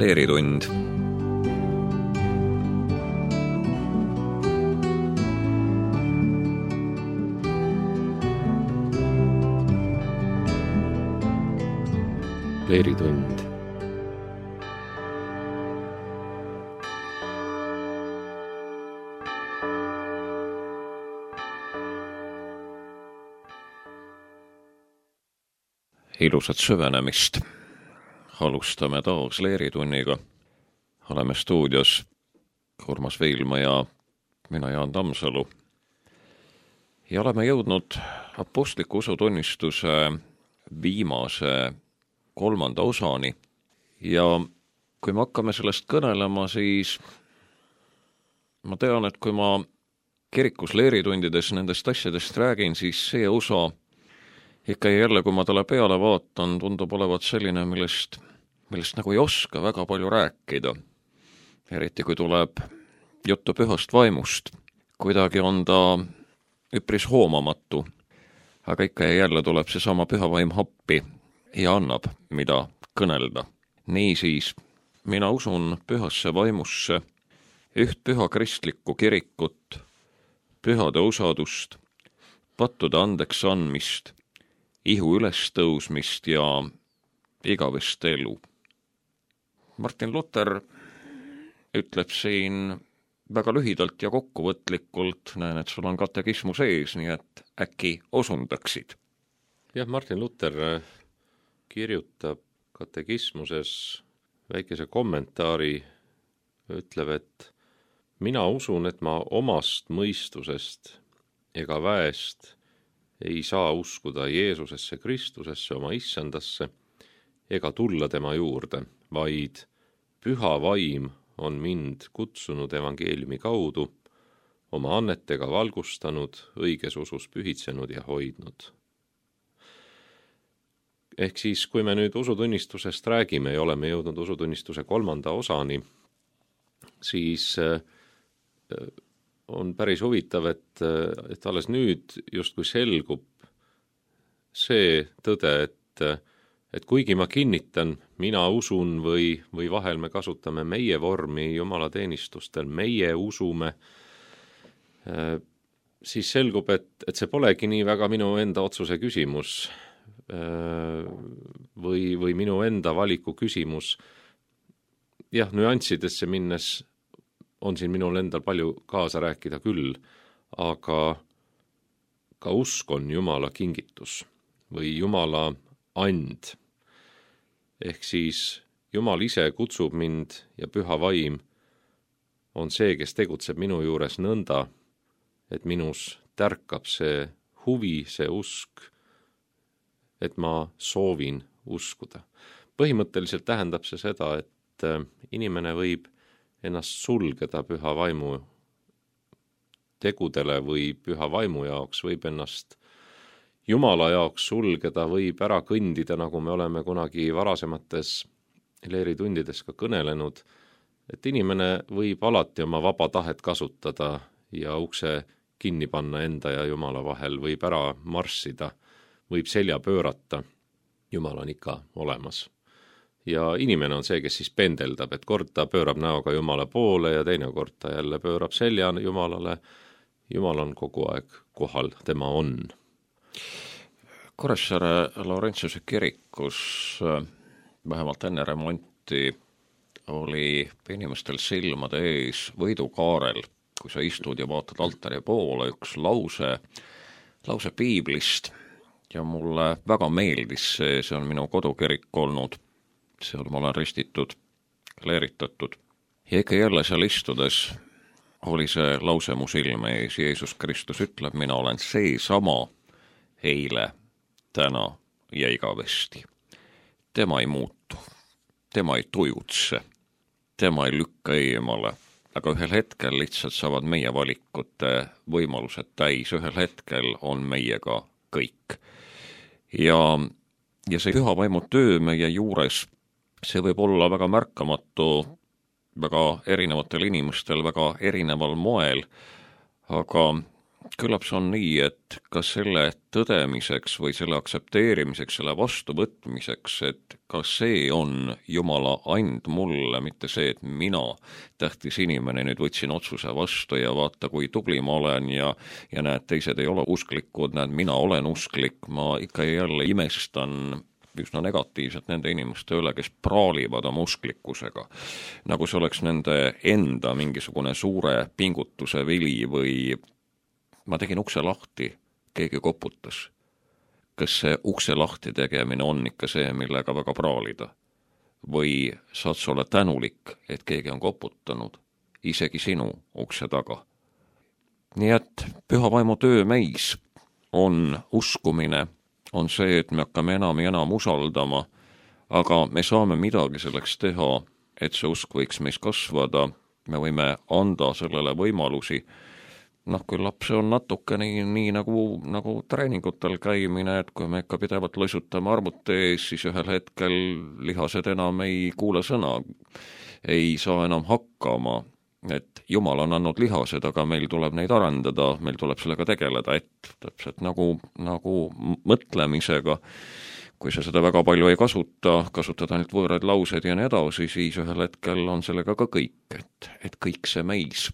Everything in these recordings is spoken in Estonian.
Leeritund. Leeritund. Ilusat süvenemist. Alustame taas Leeritunniga. Oleme stuudios Urmas Viilma ja mina Jaan Tammsalu. Ja oleme jõudnud apostliku usutunnistuse viimase 3. osani. Ja kui me hakkame sellest kõnelema, siis ma tean, et kui ma kirikus leeritundides nendest asjadest räägin, siis see osa ikka jälle, kui ma talle peale vaatan, tundub olevat selline, millest nagu ei oska väga palju rääkida. Eriti kui tuleb juttu pühast vaimust. Kuidagi on ta üpris hoomamatu, aga ikka jälle tuleb see sama püha vaim appi ja annab, mida kõnelda. Niisiis, mina usun pühasse vaimusse, üht püha kristlikku kirikut, pühade usadust, pattude andeks andmist, ihu ülestõusmist ja igavest elu. Martin Luther ütleb siin väga lühidalt ja kokkuvõtlikult, näen, et sul on katekismus ees, nii et äkki osundaksid. Jah, Martin Luther kirjutab katekismuses väikese kommentaari, ütleb, et mina usun, et ma omast mõistusest ega väest ei saa uskuda Jeesusesse Kristusesse, oma issandasse, ega tulla tema juurde, vaid püha vaim on mind kutsunud evangeeliumi kaudu, oma annetega valgustanud, õiges usus pühitsenud ja hoidnud. Ehk siis, kui me nüüd usutunnistusest räägime ja oleme jõudnud usutunnistuse 3. osani, siis on päris huvitav, et alles nüüd justkui selgub see tõde, et kuigi ma kinnitan, mina usun või vahel me kasutame meie vormi jumalateenistustel, meie usume, siis selgub, et see polegi nii väga minu enda otsuse küsimus või minu enda valiku küsimus. Jah, nüanssidesse minnes on siin minul endal palju kaasa rääkida küll, aga ka usk on Jumala kingitus või Jumala and. Ehk siis Jumal ise kutsub mind ja püha vaim on see, kes tegutseb minu juures nõnda, et minus tärkab see huvi, see usk, et ma soovin uskuda. Põhimõtteliselt tähendab see seda, et inimene võib ennast sulgeda püha vaimu tegudele või püha vaimu jaoks, võib ennast Jumala jaoks sulgeda, võib ära kõndida, nagu me oleme kunagi varasemates leeritundides ka kõnelenud, et inimene võib alati oma vaba tahet kasutada ja ukse kinni panna enda ja Jumala vahel, võib ära marssida, võib selja pöörata, Jumal on ikka olemas. Ja inimene on see, kes siis pendeldab, et kord ta pöörab näoga Jumala poole ja teine kord ta jälle pöörab selja Jumalale. Jumal on kogu aeg kohal, tema on. Kuressaare Laurentiuse kirikus vähemalt enne remonti oli inimestel silmade ees võidukaarel, kui sa istud ja vaatad altari poole, üks lause piiblist ja mulle väga meeldis see on minu kodukirik olnud. Seal ma olen ristitud, kleeritatud. Ja ikka jälle seal istudes oli see lause mu silme ees. Jeesus Kristus ütleb, mina olen seesama eile, täna ja igavesti. Tema ei muutu, tema ei tujutse, tema ei lükka eemale, aga ühel hetkel lihtsalt saavad meie valikute võimalused täis, ühel hetkel on meiega kõik. Ja see püha vaimu töö meie juures, see võib olla väga märkamatu, väga erinevatel inimestel, väga erineval moel, aga Küllap see on nii, et ka selle tõdemiseks või selle aktsepteerimiseks, selle vastuvõtmiseks, et ka see on Jumala and mulle, mitte see, et mina, tähtis inimene, nüüd võtsin otsuse vastu ja vaata, kui tubli ma olen ja näed, teised ei ole usklikud, näed, mina olen usklik, ma ikka ja jälle imestan üsna negatiivselt nende inimeste üle, kes praalivad oma usklikkusega. Nagu see oleks nende enda mingisugune suure pingutuse vili või ma tegin ukse lahti, keegi koputas. Kas see ukse lahti tegemine on ikka see, millega väga praalida? Või saad sa olla tänulik, et keegi on koputanud, isegi sinu ukse taga? Nii et püha vaimu töö meis on uskumine, on see, et me hakkame enam ja enam usaldama, aga me saame midagi selleks teha, et see usk võiks meis kasvada, me võime anda sellele võimalusi. Kui laps on natuke nii nagu treeningutel käimine, et kui me ikka pidevalt loisutame arvuti ees, siis ühel hetkel lihased enam ei kuule sõna, ei saa enam hakkama, et Jumal on andnud lihased, aga meil tuleb neid arendada, meil tuleb sellega tegeleda, et täpselt nagu mõtlemisega, kui sa seda väga palju ei kasutad ainult võõraid lauseid ja nii edasi, siis ühel hetkel on sellega ka kõik, et kõik see meis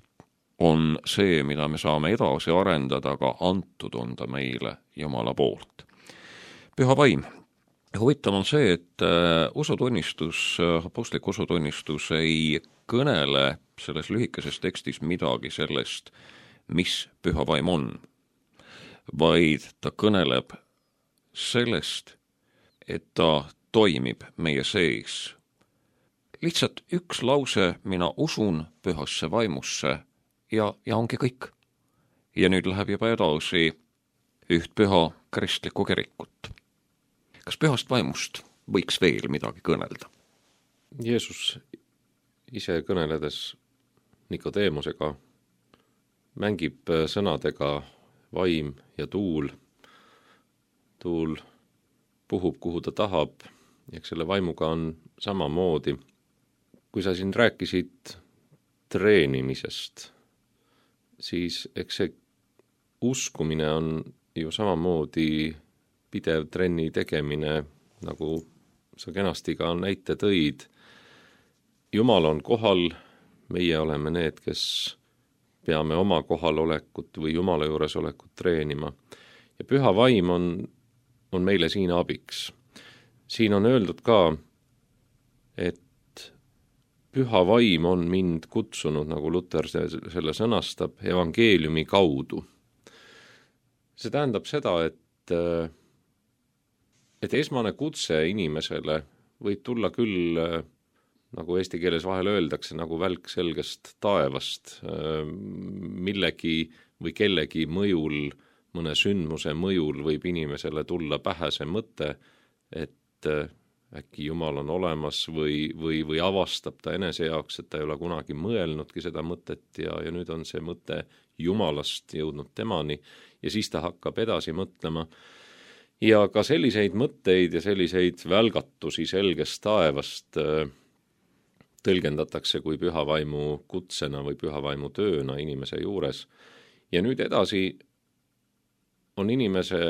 on see, mida me saame edasi arendada, aga antud on ta meile Jumala poolt. Püha vaim. Huvitav on see, et apostlik usutunnistus ei kõnele selles lühikeses tekstis midagi sellest, mis püha vaim on, vaid ta kõneleb sellest, et ta toimib meie sees. Lihtsalt üks lause, mina usun pühasse vaimusse ja ongi kõik. Ja nüüd läheb juba edasi üht püha kristlikku kirikut. Kas pühast vaimust võiks veel midagi kõnelda? Jeesus ise kõneledes Nikodeemusega mängib sõnadega vaim ja tuul. Tuul puhub, kuhu ta tahab, ja selle vaimuga on samamoodi. Kui sa siin rääkisid treenimisest, siis eks see uskumine on ju samamoodi pidev trenni tegemine, nagu sa kenasti ka näite tõid. Jumal on kohal, meie oleme need, kes peame oma kohalolekut või Jumala juuresolekut treenima. Ja püha vaim on meile siin abiks. Siin on öeldud ka, et püha vaim on mind kutsunud, nagu Luter selle sõnastab, evangeeliumi kaudu. See tähendab seda, et esmane kutse inimesele võib tulla küll, nagu eesti keeles vahel öeldakse, nagu välk selgest taevast, millegi või kellegi mõjul, mõne sündmuse mõjul võib inimesele tulla pähe see mõte, et äkki Jumal on olemas või avastab ta enese jaoks, et ta ei ole kunagi mõelnudki seda mõtet ja nüüd on see mõte Jumalast jõudnud temani ja siis ta hakkab edasi mõtlema. Ja ka selliseid mõtteid ja selliseid välgatusi selgest taevast tõlgendatakse kui püha vaimu kutsena või püha vaimu tööna inimese juures. Ja nüüd edasi on inimese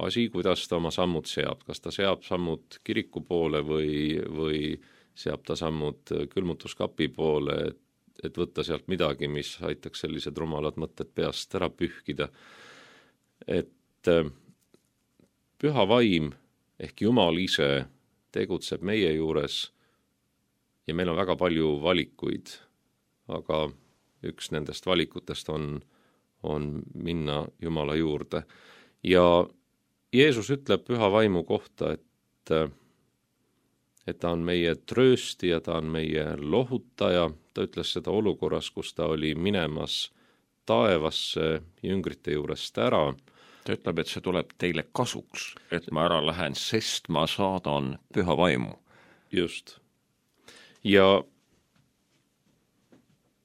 asi, kuidas ta oma sammud seab. Kas ta seab sammud kiriku poole või seab ta sammud külmutuskapi poole, et võtta sealt midagi, mis aitaks sellised rumalad mõtted peast ära pühkida. Et püha vaim ehk Jumal ise tegutseb meie juures ja meil on väga palju valikuid, aga üks nendest valikutest on minna Jumala juurde. Ja Jeesus ütleb püha vaimu kohta, et ta on meie trööstija, ta on meie lohutaja. Ta ütles seda olukorras, kus ta oli minemas taevasse jüngrite juurest ära. Ta ütleb, et see tuleb teile kasuks, et ma ära lähen, sest ma saadan püha vaimu. Just. Ja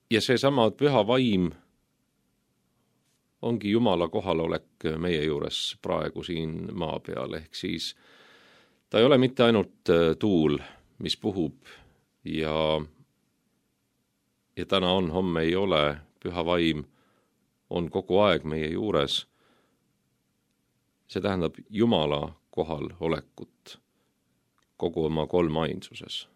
seesama püha vaim ongi Jumala kohalolek meie juures praegu siin maa peal, ehk siis ta ei ole mitte ainult tuul, mis puhub ja täna on, homme ei ole. Püha vaim on kogu aeg meie juures. See tähendab Jumala kohal olekut kogu oma kolmainsuses.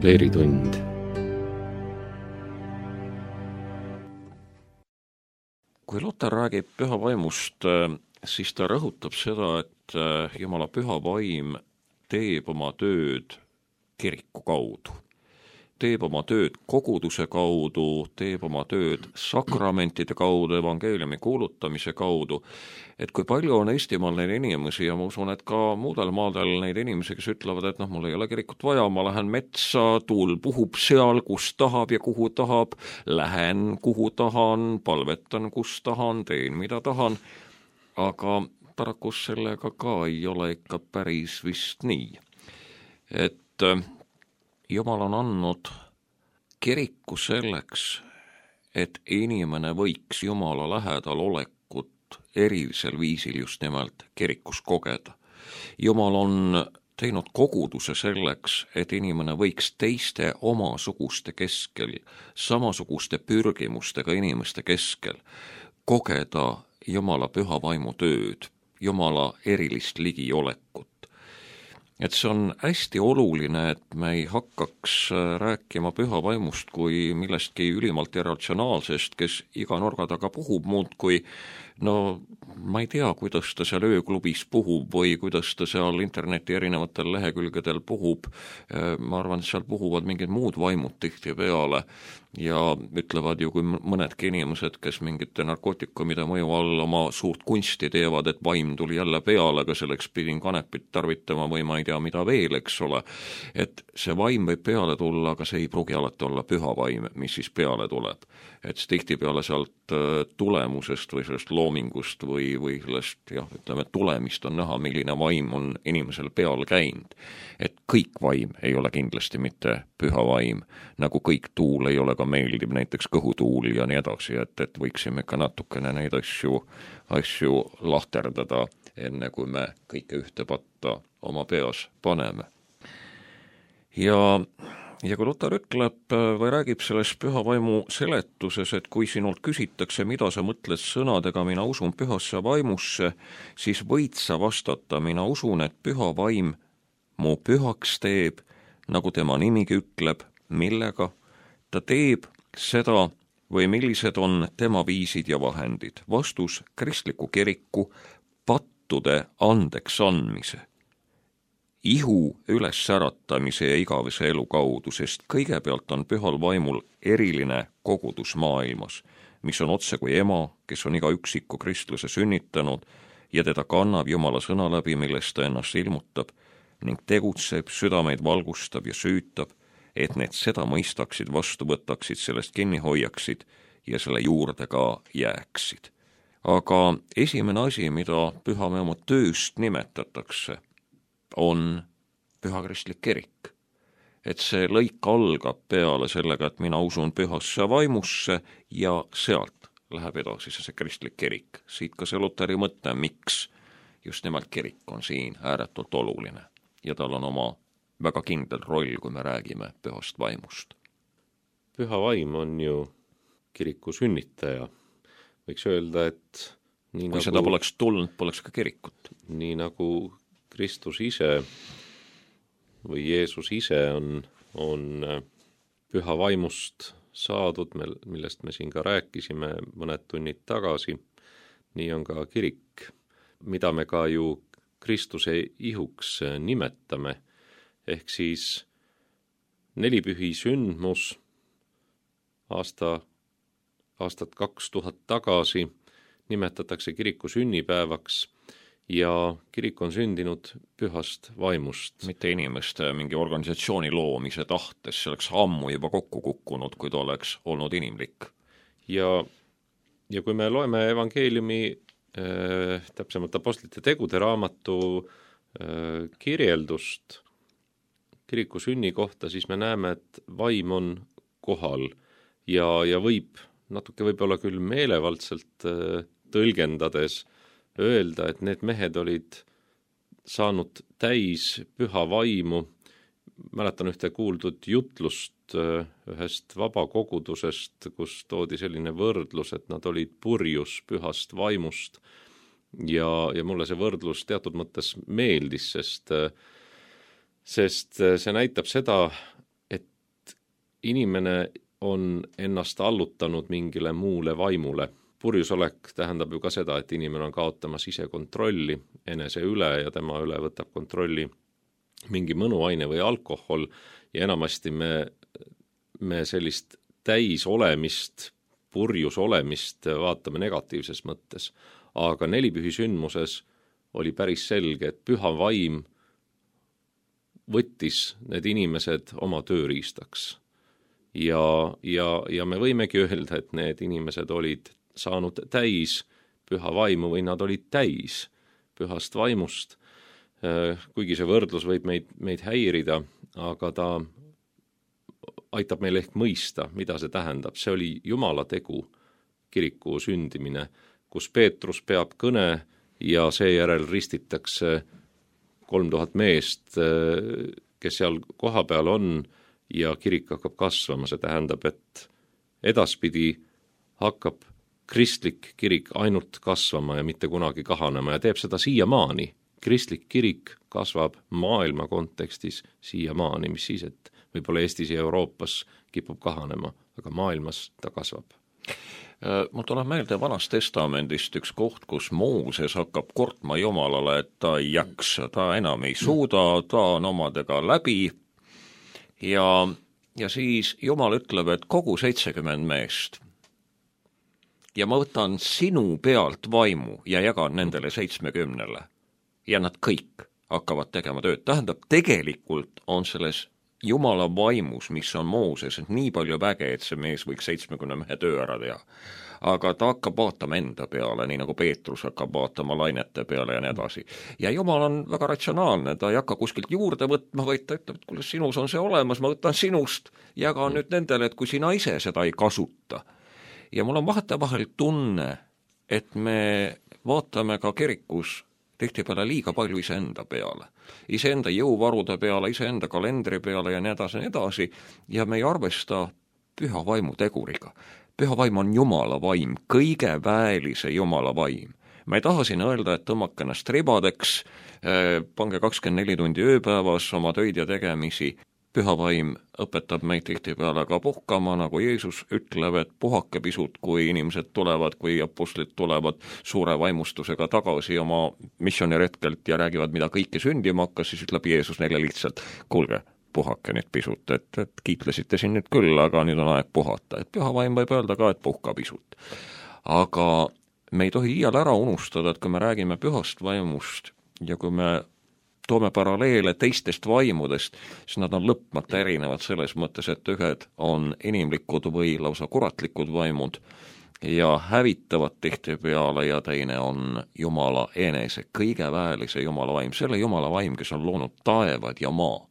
Leeritund. Kui Luter räägib püha vaimust, siis ta rõhutab seda, et Jumala püha vaim teeb oma tööd kiriku kaudu. Teeb oma tööd koguduse kaudu, teeb oma tööd sakramentide kaudu, evangeeliumi kuulutamise kaudu. Et kui palju on Eestimaal neid inimesi ja ma usun, et ka muudel maadel neid inimesi, kes ütlevad, et mul ei ole kirikut vaja, ma lähen metsa, tuul puhub seal, kus tahab ja kuhu tahab, lähen kuhu tahan, palvetan kus tahan, teen mida tahan, aga paraku sellega ka ei ole ikka päris vist nii. Et Jumal on andnud kiriku selleks, et inimene võiks Jumala lähedal olekut erilisel viisil just nimelt kirikus kogeda. Jumal on teinud koguduse selleks, et inimene võiks teiste omasuguste keskel, samasuguste pürgimustega inimeste keskel kogeda Jumala püha vaimu tööd, Jumala erilist ligiolekut. Et see on hästi oluline, et me ei hakkaks rääkima püha vaimust kui millestki ülimalt irratsionaalsest, kes iga nurga taga puhub muud kui no ma ei tea, kuidas ta seal ööklubis puhub või kuidas ta seal interneti erinevatel lehekülgedel puhub, ma arvan, et seal puhuvad mingid muud vaimud tihtipeale ja ütlevad ju, kui mõnedki inimesed, kes mingite narkootikumide mõju all oma suurt kunsti teevad, et vaim tuli jälle peale, aga selleks pidin kanepit tarvitama või ma ei tea, mida veel, eks ole, et see vaim võib peale tulla, aga see ei pruugi alati olla püha vaim, mis siis peale tuleb. Et tihtipeale sealt tulemusest või sellest loomingust või sellest, jah, ütleme, tulemist on näha, milline vaim on inimesel peal käinud. Et kõik vaim ei ole kindlasti mitte püha vaim, nagu kõik tuul ei ole ka meeldiv, näiteks kõhutuul ja nii edasi, et võiksime ka natukene neid asju lahterdada, enne kui me kõike ühte patta oma peas paneme. Ja kui Lutar ütleb või räägib selles püha vaimu seletuses, et kui sinult küsitakse, mida sa mõtled sõnadega mina usun pühasse vaimusse, siis võid sa vastata, mina usun, et püha vaim mu pühaks teeb, nagu tema nimigi ütleb, millega ta teeb seda või millised on tema viisid ja vahendid. Vastus: kristliku kiriku pattude andeks andmise, ihu ülessäratamise ja igavese elu kaudu, sest kõigepealt on pühal vaimul eriline kogudus maailmas, mis on otse kui ema, kes on iga üksiku kristluse sünnitanud ja teda kannab Jumala sõna läbi, millest ta ennast ilmutab ning tegutseb, südameid valgustab ja süütab, et need seda mõistaksid, vastu võtaksid, sellest kinni hoiaksid ja selle juurde ka jääksid. Aga esimene asi, mida püha vaimu tööst nimetatakse, on pühakristlik kirik. Et see lõik algab peale sellega, et mina usun pühasse vaimusse ja sealt läheb edasi see kristlik kirik. Siit ka see Luteri mõte, miks just nimelt kirik on siin ääretult oluline ja tal on oma väga kindel roll, kui me räägime pühast vaimust. Püha vaim on ju kiriku sünnitaja. Võiks öelda, et kui nagu, seda poleks tulnud, poleks ka kirikut. Nii nagu Kristus ise või Jeesus ise on püha vaimust saadud, millest me siin ka rääkisime mõned tunnid tagasi, nii on ka kirik, mida me ka ju Kristuse ihuks nimetame, ehk siis nelipühi sündmus aastat 2000 tagasi nimetatakse kiriku sünnipäevaks ja kirik on sündinud pühast vaimust. Mitte inimeste mingi organisatsiooni loomise tahtes, see oleks ammu juba kokku kukkunud, kui ta oleks olnud inimlik. Ja kui me loeme evangeeliumi, täpsemalt apostlite tegude raamatu kirjeldust kiriku sünni kohta, siis me näeme, et vaim on kohal ja võib natuke võib-olla küll meelevaldselt tõlgendades öelda, et need mehed olid saanud täis püha vaimu. Mäletan ühte kuuldud jutlust ühest vabakogudusest, kus toodi selline võrdlus, et nad olid purjus pühast vaimust ja mulle see võrdlus teatud mõttes meeldis, sest see näitab seda, et inimene on ennast allutanud mingile muule vaimule. Purjusolek tähendab ju ka seda, et inimene on kaotamas ise kontrolli enese üle ja tema üle võtab kontrolli mingi mõnuaine või alkohol ja enamasti me sellist täis olemist, purjus olemist vaatame negatiivses mõttes. Aga nelipühi sündmuses oli päris selge, et püha vaim võttis need inimesed oma tööriistaks. Ja me võimegi öelda, et need inimesed olid saanud täis püha vaimu või nad olid täis pühast vaimust, kuigi see võrdlus võib meid häirida, aga ta aitab meil ehk mõista, mida see tähendab. See oli Jumala tegu, kiriku sündimine, kus Peetrus peab kõne ja seejärel ristitakse 3000 meest, kes seal kohapeal on ja kirik hakkab kasvama. See tähendab, et edaspidi hakkab kristlik kirik ainult kasvama ja mitte kunagi kahanema ja teeb seda siiamaani. Kristlik kirik kasvab maailma kontekstis siiamaani, mis siis, et võib-olla Eestis ja Euroopas kipub kahanema, aga maailmas ta kasvab. Mul tuleb meelde Vanast Testamendist üks koht, kus Mooses hakkab kortma Jumalale, et ta ei jaksa, ta enam ei suuda, ta on omadega läbi ja siis Jumal ütleb, et kogu 70 meest ja ma võtan sinu pealt vaimu ja jagan nendele 70-le ja nad kõik hakkavad tegema tööd. Tähendab, tegelikult on selles Jumala vaimus, mis on Mooses, et nii palju väge, et see mees võiks 70 mehe töö ära teha. Aga ta hakkab vaatama enda peale, nii nagu Peetrus hakkab vaatama lainete peale ja nii edasi. Ja Jumal on väga ratsionaalne, ta ei hakka kuskilt juurde võtma, vaid ta ütleb, et kuule, sinus on see olemas, ma võtan sinust, jagan nüüd nendele, et kui sina ise seda ei kasuta. Ja mul on vahetevahel tunne, et me vaatame ka kirikus tihtipeale liiga palju iseenda peale. Iseenda jõuvarude peale, iseenda kalendri peale ja nii edasi, ja me ei arvesta püha vaimu teguriga. Püha vaim on Jumala vaim, kõige väelise Jumala vaim. Ma ei taha siin öelda, et tõmmake ennast ribadeks, pange 24 tundi ööpäevas oma töid ja tegemisi. Püha vaim õpetab meid tihtipeale ka puhkama, nagu Jeesus ütleb, et puhake pisut, kui inimesed tulevad, kui apostlid tulevad suure vaimustusega tagasi oma missioneretkelt ja räägivad, mida kõike sündima hakkas, siis ütleb Jeesus neile lihtsalt, kuulge, puhake nüüd pisut, et kiitlesite siin nüüd küll, aga nüüd on aeg puhata. Et püha vaim võib öelda ka, et puhka pisut. Aga me ei tohi iial ära unustada, et kui me räägime pühast vaimust ja kui me toome paralleele teistest vaimudest, siis nad on lõpmata erinevad selles mõttes, et ühed on inimlikud või lausa kuratlikud vaimud ja hävitavad tihtipeale ja teine on Jumala enese, kõige väelise Jumala vaim, selle Jumala vaim, kes on loonud taevad ja maa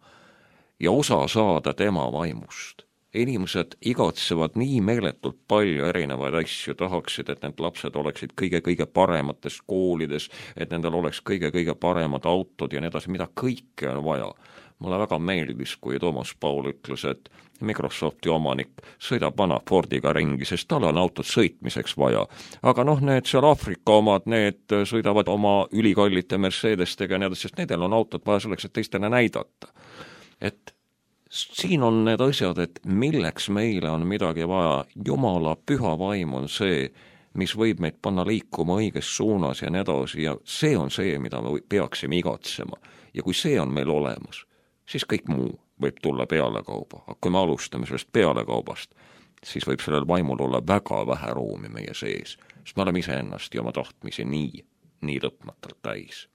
ja osa saada tema vaimust. Inimesed igatsevad nii meeletult palju erinevaid asju, tahaksid, et need lapsed oleksid kõige paremates koolides, et nendel oleks kõige paremad autod ja nii edasi, mida kõike on vaja. Mulle väga meeldis, kui Toomas Paul ütles, et Microsofti omanik sõidab vana Fordiga ringi, sest tal on autot sõitmiseks vaja. Aga need seal Aafrika omad, need sõidavad oma ülikallite Mercedestega ja nii edasi, sest nendel on autot vaja selleks, et teistele näidata. Et siin on need asjad, et milleks meile on midagi vaja. Jumala püha vaim on see, mis võib meid panna liikuma õiges suunas ja nii edasi ja see on see, mida me peaksime igatsema. Ja kui see on meil olemas, siis kõik muu võib tulla pealekauba. Aga kui me alustame sellest pealekaubast, siis võib sellel vaimul olla väga vähe ruumi meie sees, sest me oleme iseennast ja oma tahtmisi nii lõpmatalt täis.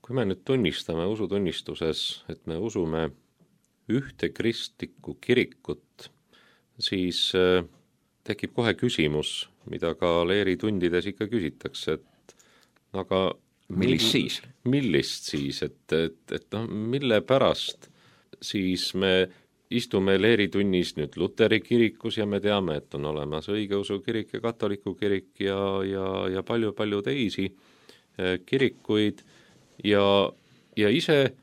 Kui me nüüd tunnistame usutunnistuses, et me usume ühte kristlikku kirikut, siis tekib kohe küsimus, mida ka leeritundides ikka küsitakse, et aga millist siis, et mille pärast siis me istume leeritunnis nüüd Luteri kirikus ja me teame, et on olemas õigeusu kirik ja katoliku kirik ja palju teisi kirikuid ja ise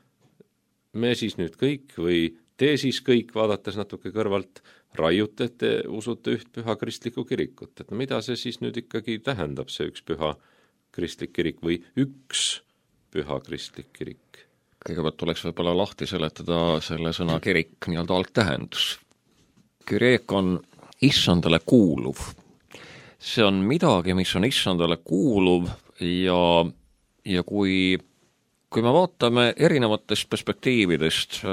me siis nüüd kõik või te siis kõik, vaadates natuke kõrvalt, raiute, et te usute üht püha kristlikku kirikut. Et mida see siis nüüd ikkagi tähendab, see üks püha kristlik kirik või üks püha kristlik kirik? Kõigepealt tuleks võib-olla lahti seletada selle sõna kirik nii-öelda algtähendus. Kireek on issandale kuuluv. See on midagi, mis on issandale kuuluv ja kui me vaatame erinevatest perspektiividest,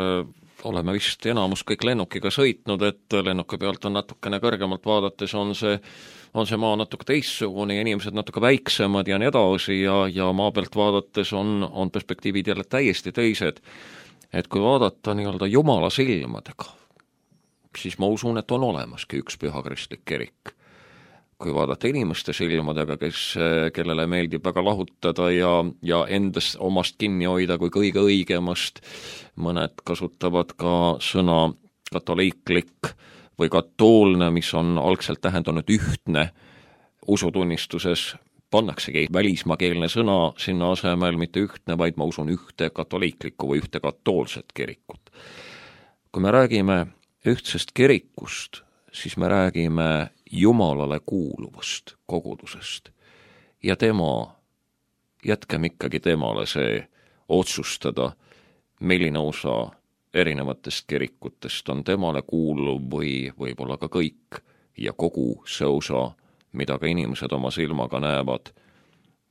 oleme vist enamus kõik lennukiga sõitnud, et lennuki pealt on natukene kõrgemalt vaadates on see maa natuke teistsugune ja inimesed natuke väiksemad ja nii edasi ja maa pealt vaadates on perspektiivid jälle täiesti teised. Et kui vaadata nii-öelda Jumala silmadega, siis ma usun, et on olemaski üks püha kristlik kirik. Kui vaadata inimeste silmadega, kellele meeldib väga lahutada ja endast omast kinni hoida kui kõige õigemast, mõned kasutavad ka sõna katoliiklik või katoolne, mis on algselt tähendanud ühtne usutunnistuses, pannaksegi välismaakeelne sõna sinna asemel, mitte ühtne, vaid ma usun ühte katoliiklikku või ühte katoolset kirikut. Kui me räägime ühtsest kirikust, siis me räägime Jumalale kuuluvast kogudusest ja jätkem ikkagi temale see otsustada, milline osa erinevatest kirikutest on temale kuuluv või võib-olla ka kõik ja kogu see osa mida ka inimesed oma silmaga näevad.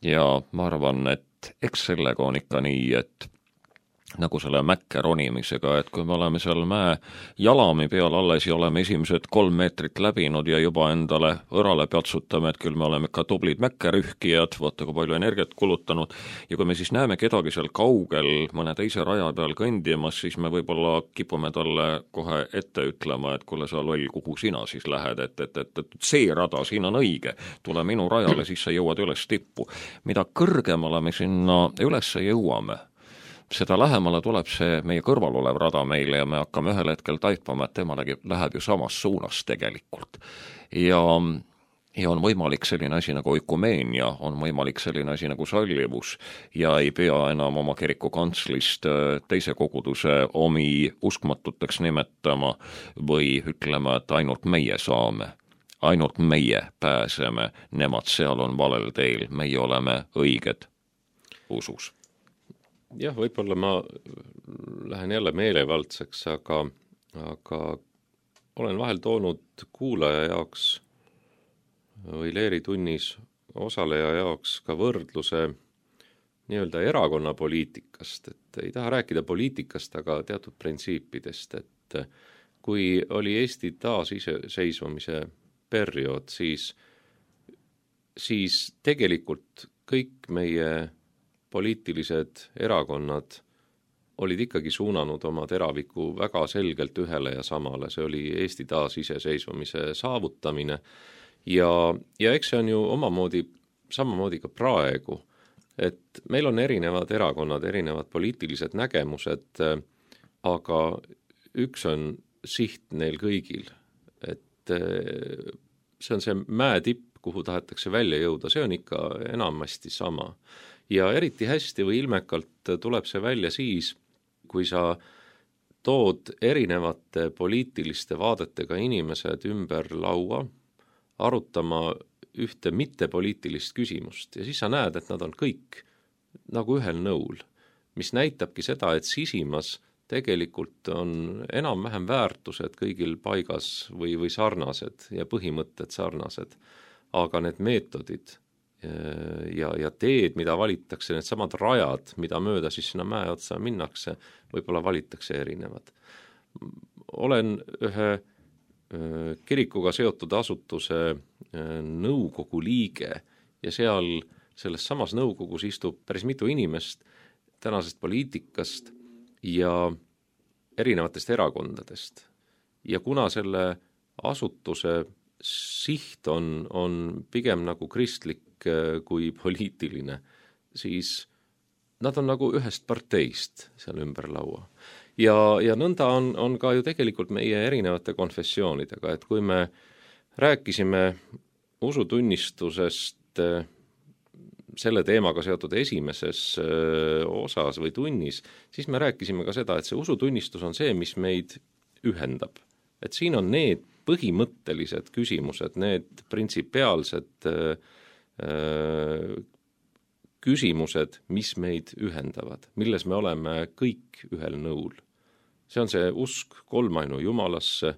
Ja ma arvan, et eks sellega on ikka nii, et nagu selle mäkke ronimisega, et kui me oleme seal mäe jalami peal alles ja oleme esimesed 3 meetrit läbinud ja juba endale õrale peatsutame, et küll me oleme ikka tublid mäkkerühkijad, vaata kui palju energiat kulutanud, ja kui me siis näeme kedagi seal kaugel mõne teise raja peal kõndimas, siis me võib-olla kipume talle kohe ette ütlema, et kuule sa loll, kuhu sina siis lähed, et see rada siin on õige, tule minu rajale, siis sa jõuad üles tippu. Mida kõrgemale me sinna üles jõuame, seda lähemale tuleb see meie kõrval olev rada meile ja me hakkame ühel hetkel taipama, et temalegi läheb ju samas suunas tegelikult. Ja on võimalik selline asi nagu oikumeenia, on võimalik selline asi nagu sallivus ja ei pea enam oma kiriku kantslist teise koguduse omi uskmatuteks nimetama või ütlema, et ainult meie saame. Ainult meie pääseme, nemad seal on valel teel, meie oleme õiged usus. Jah, võib-olla ma lähen jälle meelevaldseks, aga olen vahel toonud kuulaja jaoks või leeritunnis osaleja jaoks ka võrdluse nii-öelda erakonna poliitikast, et ei taha rääkida poliitikast, aga teatud printsiipidest, et kui oli Eesti taasiseseisvumise periood, siis tegelikult kõik meie poliitilised erakonnad olid ikkagi suunanud oma teraviku väga selgelt ühele ja samale, see oli Eesti taasiseseisvumise saavutamine ja eks see on ju samamoodi ka praegu, et meil on erinevad erakonnad, erinevad poliitilised nägemused, aga üks on siht neil kõigil, et see on see mäetipp, kuhu tahetakse välja jõuda, see on ikka enamasti sama. Ja eriti hästi või ilmekalt tuleb see välja siis, kui sa tood erinevate poliitiliste vaadetega inimesed ümber laua, arutama ühte mittepoliitilist küsimust ja siis sa näed, et nad on kõik nagu ühel nõul, mis näitabki seda, et sisimas tegelikult on enam-vähem väärtused kõigil paigas või sarnased ja põhimõtted sarnased, aga need meetodid ja teed, mida valitakse, need samad rajad, mida mööda siis sinna mäe otsa minnakse, võib-olla valitakse erinevad. Olen ühe kirikuga seotud asutuse nõukogu liige ja selles samas nõukogus istub päris mitu inimest tänasest poliitikast ja erinevatest erakondadest. Ja kuna selle asutuse siht on pigem nagu kristlik kui poliitiline, siis nad on nagu ühest parteist seal ümber laua. Ja nõnda on ka ju tegelikult meie erinevate konfessioonidega, et kui me rääkisime usutunnistusest selle teemaga seotud esimeses osas või tunnis, siis me rääkisime ka seda, et see usutunnistus on see, mis meid ühendab. Et siin on need põhimõttelised küsimused, need printsipiaalsed küsimused, mis meid ühendavad, milles me oleme kõik ühel nõul. See on see usk kolmainu Jumalasse,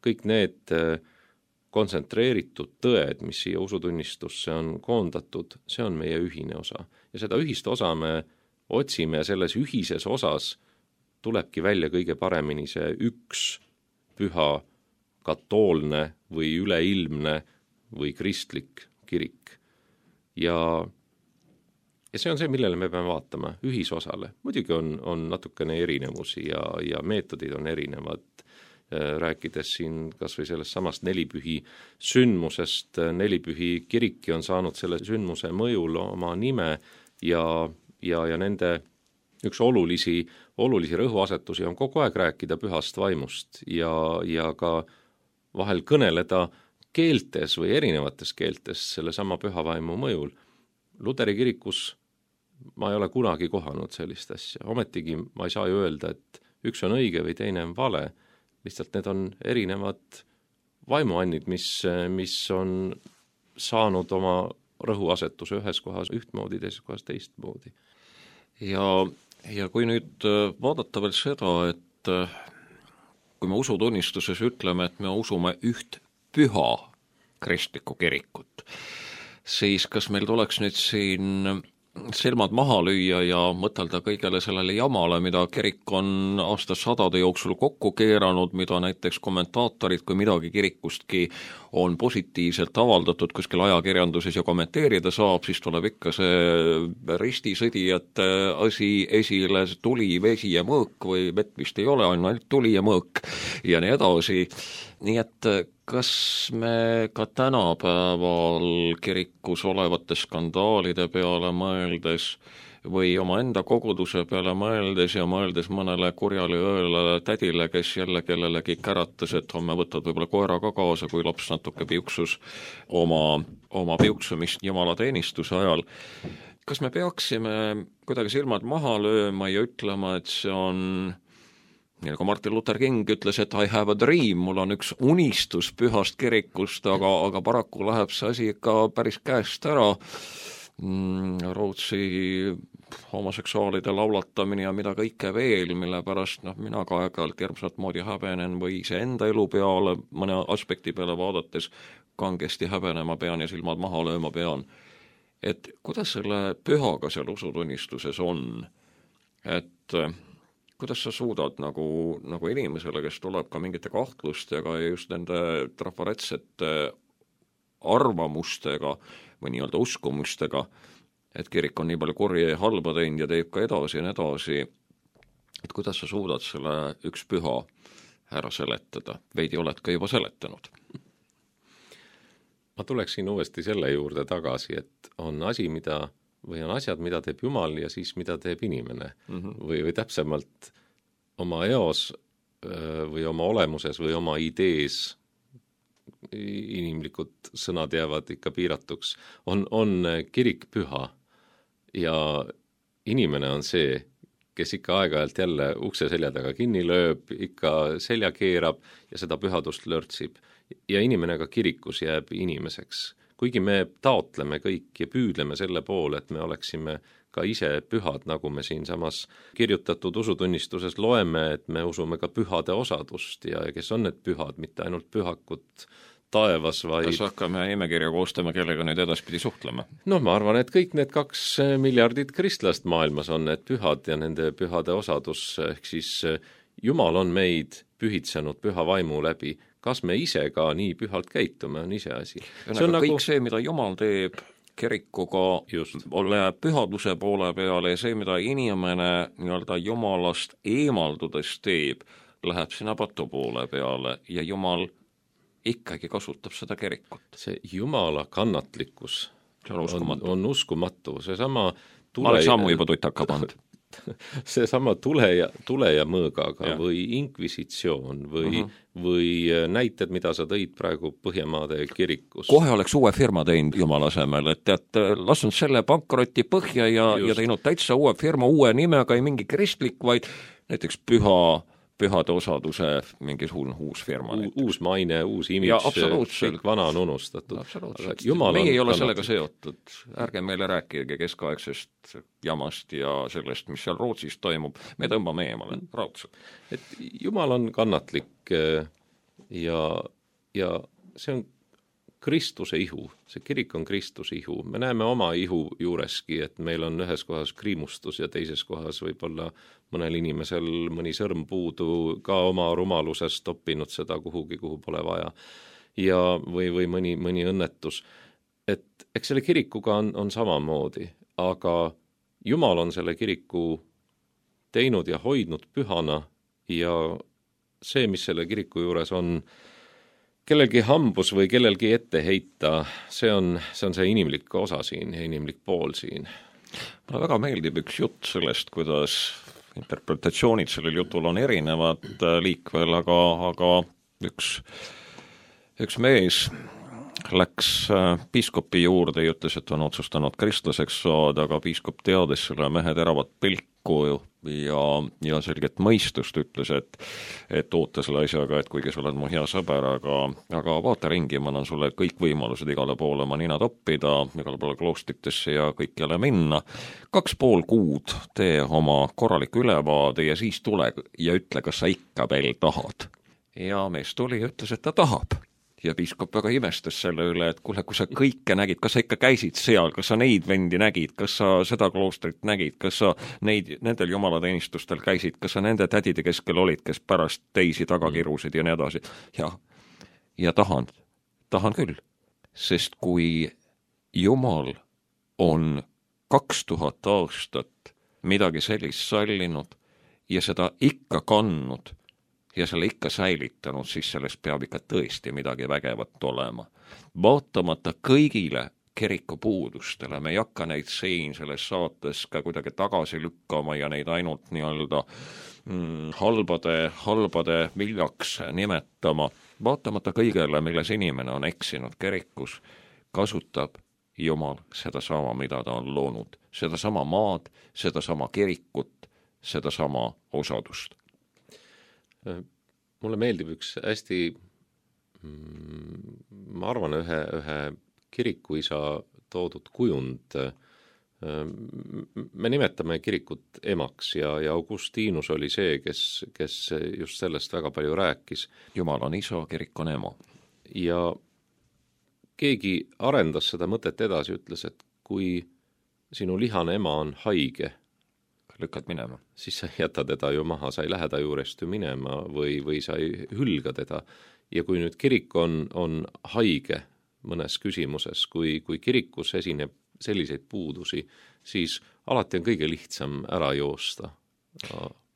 kõik need kontsentreeritud tõed, mis siia usutunnistusse on koondatud, see on meie ühine osa. Ja seda ühist osa me otsime ja selles ühises osas tulebki välja kõige paremini see üks püha katoolne või üleilmne või kristlik kirik. Ja see on see, millele me peame vaatama, ühisosale. Muidugi on natukene erinevusi ja meetodid on erinevad. Rääkides siin kas või sellest samast nelipühi sündmusest, nelipühi kiriki on saanud selle sündmuse mõjul oma nime ja nende üks olulisi rõhuasetusi on kogu aeg rääkida pühast vaimust ja ka vahel kõneleda keeltes või erinevates keeltes selle sama püha vaimu mõjul. Luteri kirikus ma ei ole kunagi kohanud sellist asja. Ometigi ma ei saa ju öelda, et üks on õige või teine on vale. Lihtsalt need on erinevad vaimuannid, mis on saanud oma rõhuasetuse ühes kohas ühtmoodi, teises kohas teistmoodi. Ja kui nüüd vaadata veel seda, et kui me usutunnistuses ütleme, et me usume üht püha kristlikku kirikut, siis kas meil tuleks nüüd siin silmad maha lüüa ja mõtelda kõigele sellele jamale, mida kirik on aastasadade jooksul kokku keeranud, mida näiteks kommentaatorid, kui midagi kirikustki on positiivselt avaldatud kuskil ajakirjanduses ja kommenteerida saab, siis tuleb ikka see ristisõdijate asi esile, tuli, vesi ja mõõk või vett vist ei ole, ainult tuli ja mõõk ja nii edasi. Nii et kas me ka tänapäeval kirikus olevate skandaalide peale mõeldes või omaenda koguduse peale mõeldes ja mõeldes mõnele kurjale õelale tädile, kes jälle kellelegi käratas, et homme võtad võib-olla koera ka kaasa, kui laps natuke piuksus oma piuksumist jumalateenistuse ajal. Kas me peaksime kuidagi silmad maha lööma ja ütlema, et see on nii nagu Martin Luther King ütles, et I have a dream, mul on üks unistus pühast kirikust, aga paraku läheb see asi ikka päris käest ära. Rootsi homoseksuaalide laulatamine ja mida kõike veel, mille pärast mina ka aeg-ajalt järmsat moodi häbenen või iseenda elu peale, mõne aspekti peale vaadates kangesti häbenema pean ja silmad maha lööma pean. Et kuidas selle pühaga seal usutunnistuses on? Et kuidas sa suudad nagu inimesele, kes tuleb ka mingite kahtlustega ja just nende trafaretsete arvamustega või nii-öelda uskumustega, et kirik on nii palju kurja ja halba teinud ja teeb ka edasi ja nii edasi, et kuidas sa suudad selle üks püha ära seletada? Veidi oled ka juba seletanud. Ma tuleksin uuesti selle juurde tagasi, et on asi, või on asjad, mida teeb Jumal ja siis mida teeb inimene või täpsemalt oma eos või oma olemuses või oma idees, inimlikud sõnad jäävad ikka piiratuks, on kirik püha ja inimene on see, kes ikka aeg-ajalt jälle ukse selja taga kinni lööb, ikka selja keerab ja seda pühadust lörtsib ja inimene ka kirikus jääb inimeseks. Kuigi me taotleme kõik ja püüdleme selle poole, et me oleksime ka ise pühad, nagu me siinsamas kirjutatud usutunnistuses loeme, et me usume ka pühade osadust ja kes on need pühad, mitte ainult pühakut taevas, vaid... Kas hakkame nimekirja koostama, kellega nüüd edaspidi suhtlema? No ma arvan, et kõik need 2 miljardit kristlast maailmas on need pühad ja nende pühade osadus, ehk siis Jumal on meid pühitsenud püha vaimu läbi. Kas me ise ka nii pühalt käitume, on ise asi. See on kõik see, mida Jumal teeb kirikuga, läheb pühaduse poole peale ja see, mida inimene nii-öelda Jumalast eemaldudes teeb, läheb sinna patu poole peale ja Jumal ikkagi kasutab seda kirikut. See Jumala kannatlikkus on uskumatu. Seesama ma oleks ammu juba tutaka pannud. Seesama tule ja mõõgaga või inkvisitsioon või näited, mida sa tõid praegu Põhjamaade kirikus. Kohe oleks uue firma teinud Jumala asemel, et lasnud selle pankroti põhja ja teinud täitsa uue firma, uue nimega, ei mingi kristlik, vaid näiteks pühade osaduse mingi uus firma. Uus maine, uus imidž, kõik vana on unustatud. Meie ei ole sellega seotud. Ärge meile rääkige keskaegsest jamast ja sellest, mis seal Rootsis toimub. Me tõmbame eemale raudselt. Et Jumal on kannatlik ja see on Kristuse ihu, see kirik on Kristuse ihu. Me näeme oma ihu juureski, et meil on ühes kohas kriimustus ja teises kohas võib-olla mõnel inimesel mõni sõrm puudu ka oma rumalusest toppinud seda kuhugi, kuhu pole vaja ja või mõni õnnetus. Et eks selle kirikuga on samamoodi, aga Jumal on selle kiriku teinud ja hoidnud pühana ja see, mis selle kiriku juures on kellelgi hambus või kellelgi ette heita, see on see inimlik osa siin ja inimlik pool siin. Mulle väga meeldib üks jutt sellest, kuidas interpretatsioonid sellel jutul on erinevad liikvel, aga üks mees läks piiskopi juurde ja ütles, et on otsustanud kristlaseks saada, aga piiskop teades selle mehe teravat pilku ja selget mõistust ütles, et oota selle asjaga, et kuigi sa oled mu hea sõber, aga vaata ringi, ma annan sulle kõik võimalused igale poole oma nina toppida, igale poole kloostritesse ja kõikjale minna. 2,5 kuud tee oma korralik ülevaade ja siis tule ja ütle, kas sa ikka veel tahad. Ja mees tuli ja ütles, et ta tahab. ja piiskop väga imestas selle üle, et kuule, kui sa kõike nägid, kas sa ikka käisid seal, kas sa neid vendi nägid, kas sa seda kloostrit nägid, kas sa nendel jumalateenistustel käisid, kas sa nende tädide keskel olid, kes pärast teisi taga kirusid ja nii edasi. Ja tahan küll, sest kui Jumal on 2000 aastat midagi sellist sallinud ja seda ikka kandnud ja selle ikka säilitanud, siis sellest peab ikka tõesti midagi vägevat olema. Vaatamata kõigile kiriku puudustele, me ei hakka neid siin selles saates ka kuidagi tagasi lükkama ja neid ainult nii-öelda halbade viljaks nimetama. Vaatamata kõigele, milles inimene on eksinud kirikus, kasutab Jumal sedasama, mida ta on loonud. Sedasama maad, sedasama kirikut, sedasama osadust. Mulle meeldib üks hästi, ma arvan, ühe kirikuisa toodud kujund. Me nimetame kirikut emaks ja Augustinus oli see, kes just sellest väga palju rääkis. Jumal on isa, kirik on ema. Ja keegi arendas seda mõtet edasi, ütles, et kui sinu lihane ema on haige, lükkad minema, siis sa ei jäta teda ju maha, sa ei lähe ta juurest ju minema või sa ei hülga teda. Ja kui nüüd kirik on haige mõnes küsimuses, kui kirikus esineb selliseid puudusi, siis alati on kõige lihtsam ära joosta.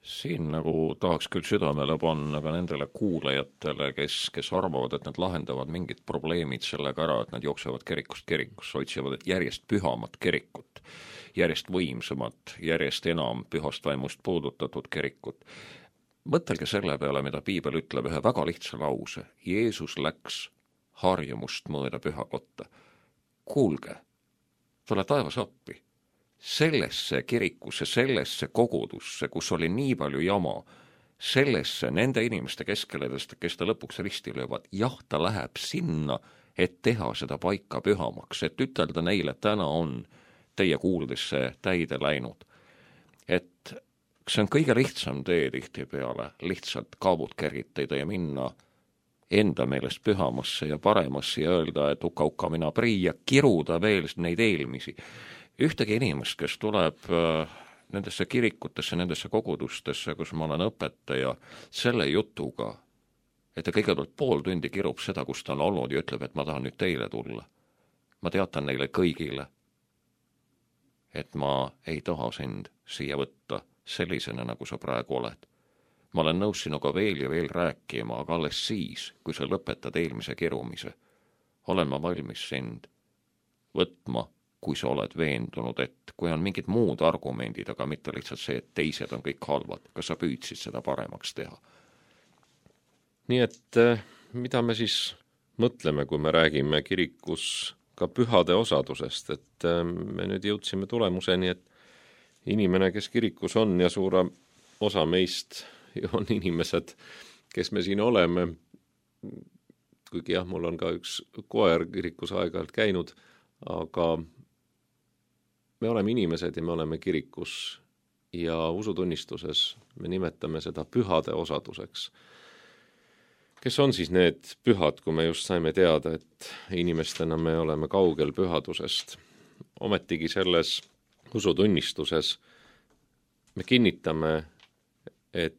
Siin nagu tahaks küll südamele panna ka nendele kuulajatele, kes arvavad, et nad lahendavad mingid probleemid sellega ära, et nad jooksevad kirikust kirikusse, otsivad järjest pühamat kirikut, järjest võimsamat, järjest enam pühast vaimust puudutatud kirikut. Mõtelge selle peale, mida piibel ütleb, ühe väga lihtsa lause. Jeesus läks harjumust mööda pühakotta. Kuulge, tule taevas appi. Sellesse kirikusse, sellesse kogudusse, kus oli nii palju jama, sellesse nende inimeste keskeledest, kes ta lõpuks risti löövad, jah, ta läheb sinna, et teha seda paika pühamaks, et ütelda neile, täna on teie kuuldesse täide läinud. Et see on kõige lihtsam tee tihtipeale, lihtsalt kaabud kergitada ja minna enda meelest pühamasse ja paremasse ja öelda, et uka mina prii ja kiruda veel neid eelmisi. Ühtegi inimest, kes tuleb nendesse kirikutesse, nendesse kogudustesse, kus ma olen õpetaja, selle jutuga, et ta kõigepealt pool tundi kirub seda, kus ta on olnud ja ütleb, et ma tahan nüüd teile tulla. Ma teatan neile kõigile, et ma ei taha sind siia võtta sellisena, nagu sa praegu oled. Ma olen nõus sinuga veel ja veel rääkima, aga alles siis, kui sa lõpetad eelmise kirumise, olen ma valmis sind võtma, kui sa oled veendunud, et kui on mingid muud argumendid, aga mitte lihtsalt see, et teised on kõik halvad, kas sa püüdsid seda paremaks teha? Nii et mida me siis mõtleme, kui me räägime kirikus ka pühade osadusest, et me nüüd jõudsime tulemuseni, et inimene, kes kirikus on ja suure osa meist on inimesed, kes me siin oleme, kuigi jah, mul on ka üks koer kirikus aeg-ajalt käinud, aga me oleme inimesed ja me oleme kirikus ja usutunnistuses me nimetame seda pühade osaduseks. Kes on siis need pühad, kui me just saime teada, et inimestena me oleme kaugel pühadusest? Ometigi selles usutunnistuses me kinnitame, et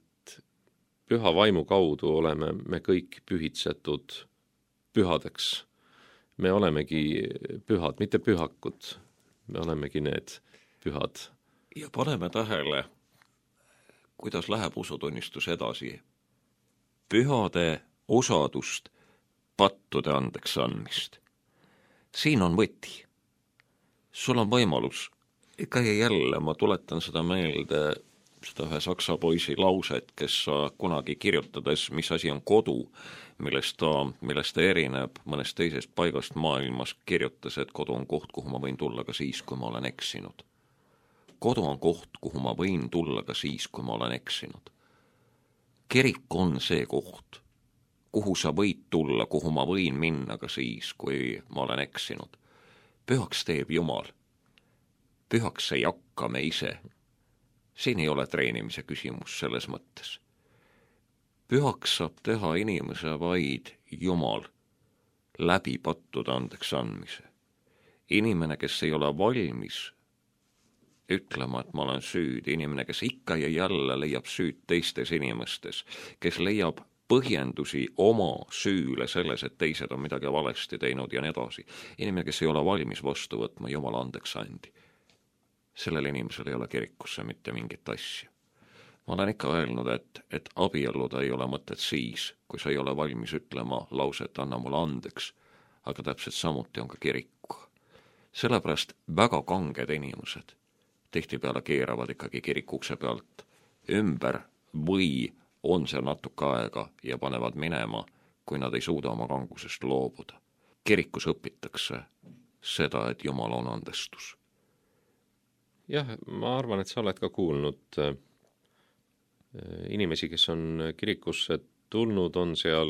püha vaimu kaudu oleme me kõik pühitsetud pühadeks. Me olemegi pühad, mitte pühakud. Me olemegi need pühad. Ja paneme tähele, kuidas läheb usutunnistus edasi. Pühade osadust, pattude andeks andmist. Siin on võti. Sul on võimalus. Ikka ja jälle ma tuletan seda meelde, seda ühe saksa poisi lauset, kes kunagi kirjutades, mis asi on kodu, millest ta erineb mõnest teisest paigast maailmas, kirjutas, et kodu on koht, kuhu ma võin tulla ka siis, kui ma olen eksinud. Kodu on koht, kuhu ma võin tulla ka siis, kui ma olen eksinud. Kirik on see koht, kuhu sa võid tulla, kuhu ma võin minna ka siis, kui ma olen eksinud. Pühaks teeb Jumal. Pühaks ei hakka me ise. Siin ei ole treenimise küsimus selles mõttes. Pühaks saab teha inimese vaid Jumal. läbi pattuda andeks andmise. Inimene, kes ei ole valmis ütlema, et ma olen süüdi, inimene, kes ikka ja jälle leiab süüd teistes inimestes, kes leiab põhjendusi oma süüle selles, et teised on midagi valesti teinud ja nii edasi. Inimene, kes ei ole valmis vastu võtma Jumala andeks andi. Sellel inimesel ei ole kirikusse mitte mingit asja. Ma olen ikka öelnud, et abielluda ei ole mõtet siis, kui sa ei ole valmis ütlema lauset, anna mulle andeks, aga täpselt samuti on ka kiriku. Sellepärast väga kanged inimesed tihtipeale keeravad ikkagi kirikukse pealt ümber või on seal natuke aega ja panevad minema, kui nad ei suuda oma kangusest loobuda. Kirikus õpitakse seda, et Jumal on andestus. Jah, ma arvan, et sa oled ka kuulnud inimesi, kes on kirikusse tulnud, on seal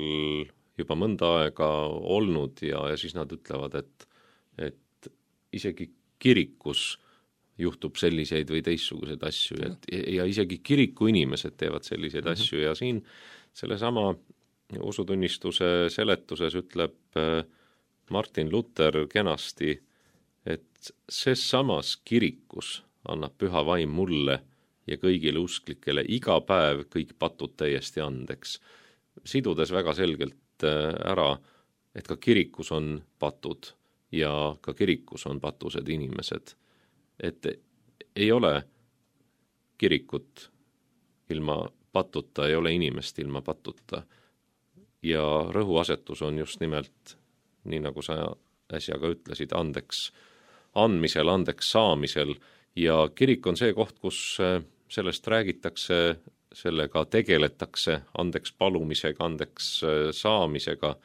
juba mõnda aega olnud ja siis nad ütlevad, et isegi kirikus juhtub selliseid või teistsuguseid asju ja isegi kiriku inimesed teevad selliseid asju ja siin sellesama usutunnistuse seletuses ütleb Martin Luther kenasti, et see samas kirikus annab püha vaim mulle ja kõigile usklikele iga päev kõik patud täiesti andeks. Sidudes väga selgelt ära, et ka kirikus on patud ja ka kirikus on patused inimesed. Et ei ole kirikut ilma patuta, ei ole inimest ilma patuta. Ja rõhuasetus on just nimelt, nii nagu sa äsja ka ütlesid, andeks andmisel, andeks saamisel ja kirik on see koht, kus sellest räägitakse, sellega tegeletakse, andeks palumisega, andeks saamisega,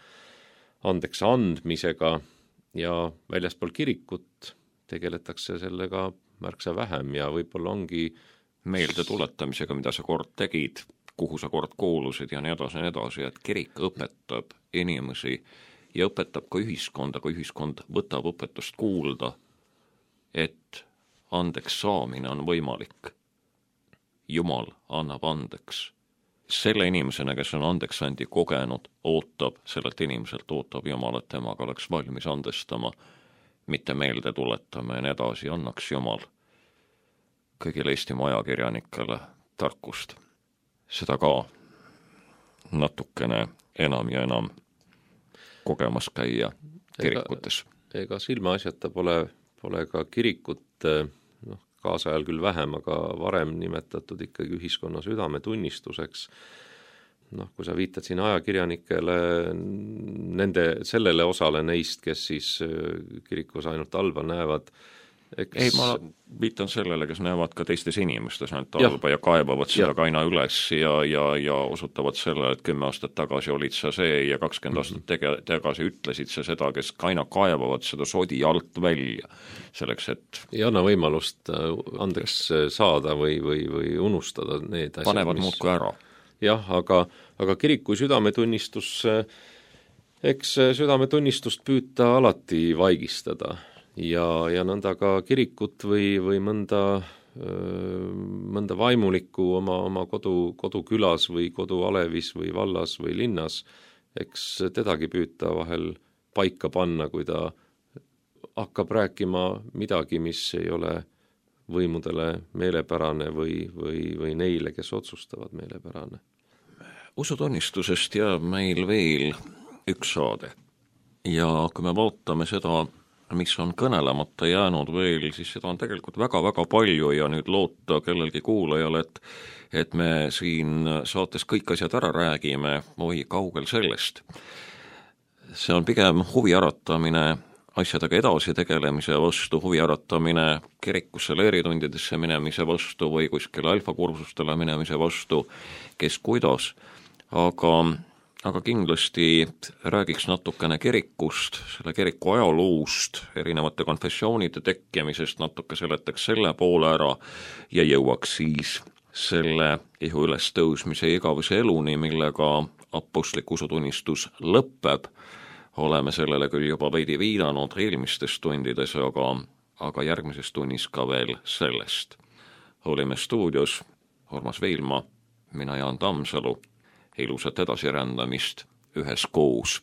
andeks andmisega ja väljaspool kirikut tegeletakse sellega märksa vähem ja võib-olla ongi meelde tuletamisega, mida sa kord tegid, kuhu sa kord kuulusid ja nii edasi, et kirik õpetab inimesi ja õpetab ka ühiskonda, kui ühiskond võtab õpetust kuulda, et andeks saamine on võimalik. Jumal annab andeks. Selle inimesena, kes on andeks andi kogenud, sellelt inimeselt ootab Jumal, et temaga oleks valmis andestama, mitte meelde tuletama ja nii edasi, annaks Jumal kõigile Eestimaa ajakirjanikele tarkust. Seda ka natukene enam ja enam kogemas käia kirikutes. Ega silmaasjata pole ka kirikut, kaasajal küll vähem, aga varem nimetatud ikkagi ühiskonna südametunnistuseks. Kui sa viitad siin ajakirjanikele, sellele osale neist, kes siis kirikus ainult halba näevad. Ei, ma viitan sellele, kes näevad ka teistes inimestes ainult halba ja kaebavad seda ka aina üles ja osutavad selle, et 10 aastat tagasi olid sa see ja 20 aastat tagasi ütlesid sa seda, kes aina kaebavad seda sodi alt välja. Selleks, et ei anna võimalust andeks saada või unustada need asjad. Panevad muudku ära. Jah, aga kiriku südametunnistus, eks südametunnistust püüta alati vaigistada ja nõnda ka kirikut või mõnda vaimulikku oma kodukülas või kodualevis või vallas või linnas, eks tedagi püüta vahel paika panna, kui ta hakkab rääkima midagi, mis ei ole võimudele meelepärane või neile, kes otsustavad meelepärane. Usutunnistusest jääb meil veel üks saade ja kui me vaatame seda, mis on kõnelemata jäänud veel, siis seda on tegelikult väga-väga palju ja nüüd loota kellelgi kuulajal, et me siin saates kõik asjad ära räägime, või kaugel sellest. See on pigem huvi äratamine asjadega edasi tegelemise vastu, huvi äratamine kirikusse leeritundidesse minemise vastu või kuskile alfakursustele minemise vastu, kes kuidas, aga kindlasti räägiks natukene kirikust, selle kiriku ajaloost, erinevate konfessioonide tekkimisest, natuke seletaks selle poole ära ja jõuaks siis selle ihu üles tõusmise igavese eluni, millega apostlik usutunnistus lõpeb. Oleme sellele küll juba veidi viidanud eelmistes tundides, aga järgmises tunnis ka veel sellest. Olime stuudios Urmas Viilma, mina Jaan Tammsalu, ilusat edasirändamist üheskoos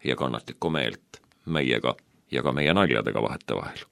ja kannatlikku meelt meiega ja ka meie naljadega vahetevahel.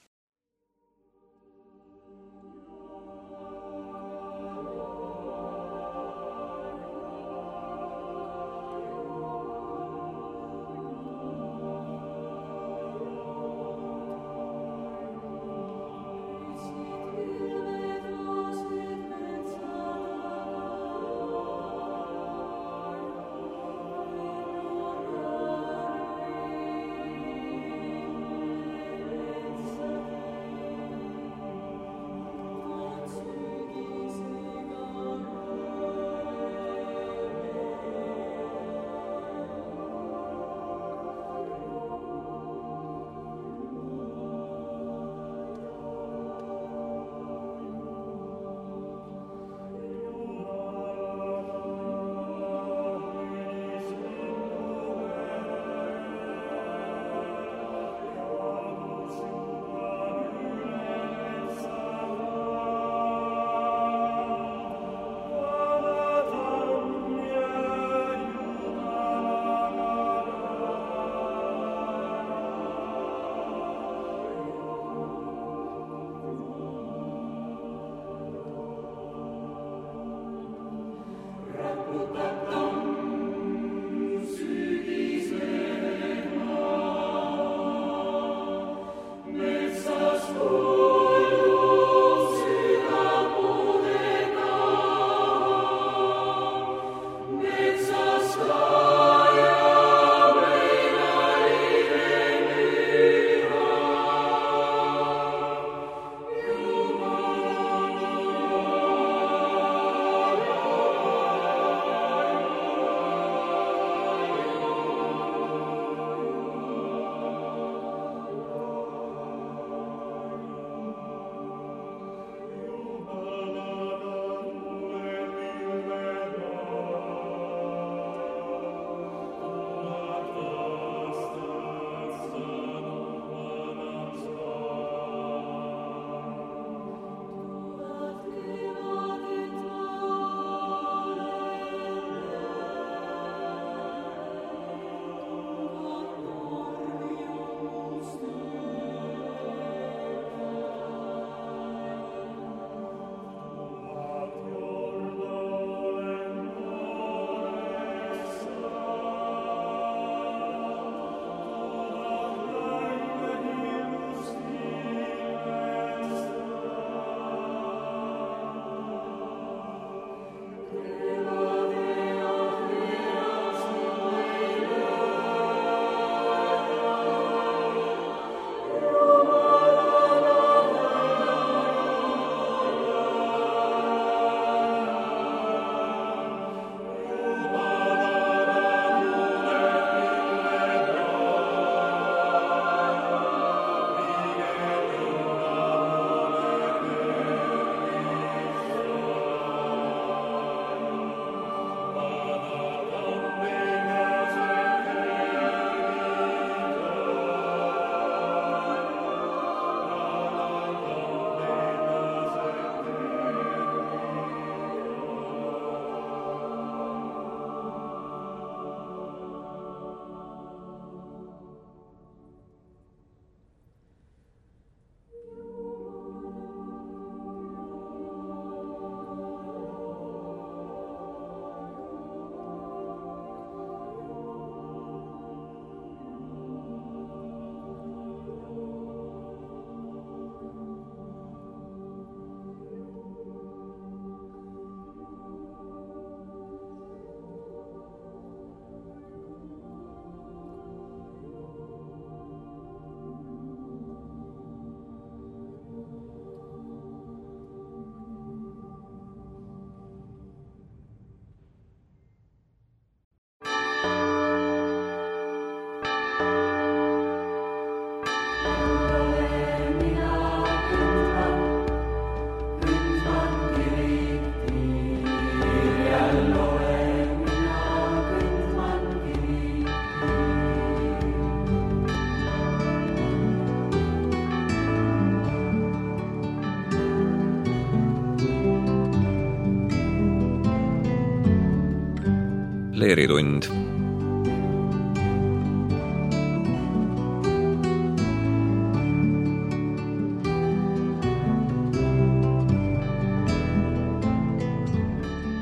Leeritund.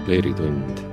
leeritund.